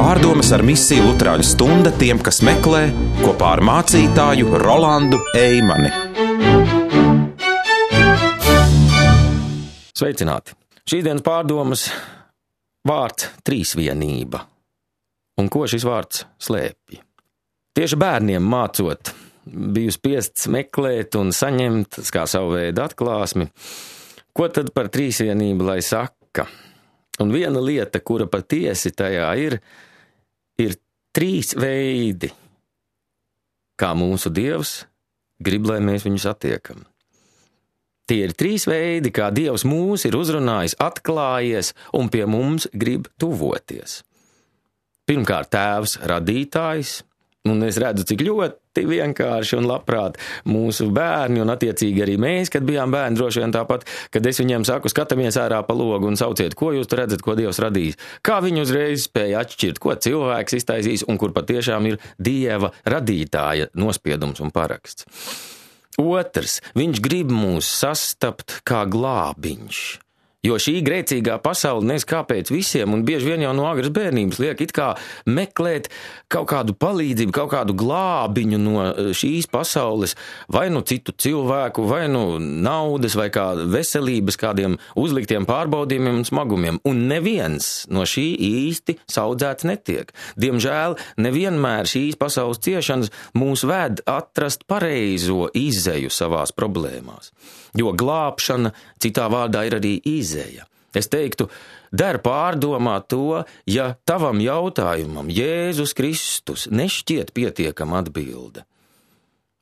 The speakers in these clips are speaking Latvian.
Pārdomas ar misiju Luterāņu stunda tiem, kas meklē, kopā ar mācītāju Rolandu Eimani. Sveicināti! Šīsdienas pārdomas vārds trīsvienība. Un ko šis vārds slēpj? Tieši bērniem mācot, biju spiests meklēt un saņemt kā savu veidu atklāsmi, ko tad par trīsvienību lai saka. Un viena lieta, kura patiesi tajā ir trīs veidi, kā mūsu Dievs grib, lai mēs viņu satiekam. Tie ir trīs veidi, kā Dievs mūs ir uzrunājis, atklājies un pie mums grib tuvoties. Pirmkārt, Tēvs radītājs, un es redzu, cik ļoti vienkārši un labprāt mūsu bērni, un attiecīgi arī mēs, kad bijām bērni, droši vien tāpat, kad es viņiem saku, skatamies ārā pa logu un sauciet, ko jūs tur redzat, ko Dievs radījis. Kā viņi uzreiz spēja atšķirt, ko cilvēks iztaisīs un kur patiešām ir Dieva radītāja nospiedums un paraksts. Otrs, viņš grib mūs sastapt kā glābiņš, jo šī grēcīgā pasaule nes kāpēc visiem, un bieži vien jau no agras bērnības liek it kā meklēt kaut kādu palīdzību, kaut kādu glābiņu no šīs pasaules, vai nu citu cilvēku, vai nu naudas, vai kā veselības kādiem uzliktiem pārbaudījumiem un smagumiem, un neviens no šī īsti saudzēts netiek. Diemžēl nevienmēr šīs pasaules ciešanas mūs ved atrast pareizo izeju savās problēmās, jo glābšana citā vārdā ir arī izēja. Es teiktu, der pārdomāt to, ja tavam jautājumam Jēzus Kristus nešķiet pietiekama atbilde.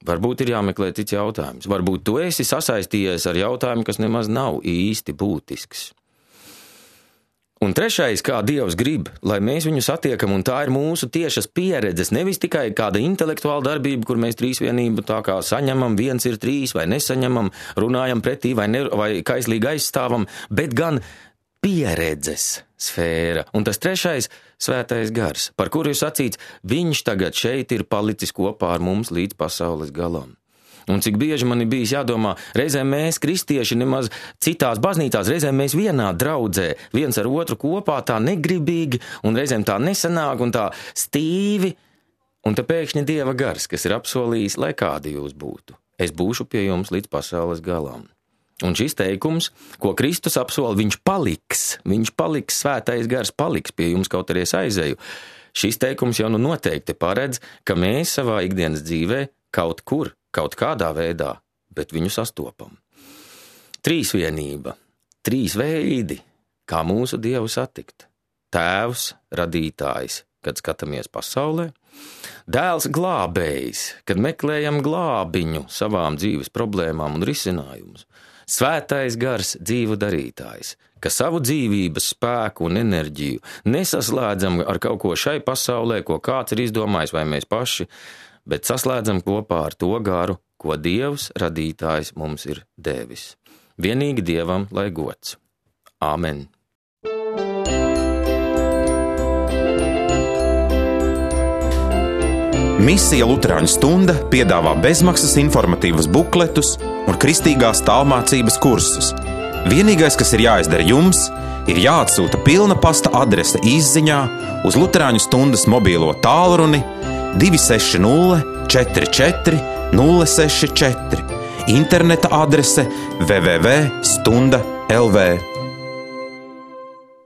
Varbūt ir jāmeklē cits jautājums. Varbūt tu esi sasaistījies ar jautājumu, kas nemaz nav īsti būtisks. Un trešais, kā Dievs grib, lai mēs viņu satiekam, un tā ir mūsu tiešas pieredzes, nevis tikai kāda intelektuāla darbība, kur mēs trīsvienību tā kā saņemam, viens ir trīs, vai nesaņemam, runājam pretī, vai kaislīgi aizstāvam, bet gan pieredzes sfēra. Un tas trešais, svētais gars, par kuru ir sacīts, viņš tagad šeit ir palicis kopā ar mums līdz pasaules galam. Un cik bieži man ir bijis jādomā, reizēm mēs, kristieši, nemaz citās baznīcās, reizēm mēs vienā draudzē, viens ar otru kopā tā negribīgi, un reizēm tā nesanāk un tā stīvi, un te pēkšņi Dieva gars, kas ir apsolījis, lai kādi jūs būtu. Es būšu pie jums līdz pasaules galam. Un šis teikums, ko Kristus apsola, viņš paliks, svētais gars paliks pie jums, kaut arī es aizēju. Šis teikums jau noteikti paredz, ka mēs savā ikdienas dzīvē kaut kur, kaut kādā veidā, bet viņu sastopam. Trīsvienība, trīs veidi, kā mūsu Dievu satikt. Tēvs, radītājs, kad skatāmies pasaulē. Dēls glābējs, kad meklējam glābiņu savām dzīves problēmām un risinājumus. Svētais gars, dzīvu darītājs, ka savu dzīvības spēku un enerģiju nesaslēdzam ar kaut ko šai pasaulē, ko kāds ir izdomājis vai mēs paši, bet saslēdzam kopā ar to garu, ko Dievs radītājs mums ir devis. Vienīgi Dievam lai gods. Āmen. Misija Luterāņu stunda piedāvā bezmaksas informatīvas bukletus un kristīgās tālmācības kursus. Vienīgais, kas ir jāizdara jums, ir jāatsūta pilna pasta adrese izziņā uz Luterāņu stundas mobīlo tālruni 260 44 064, interneta adrese www.stunda.lv.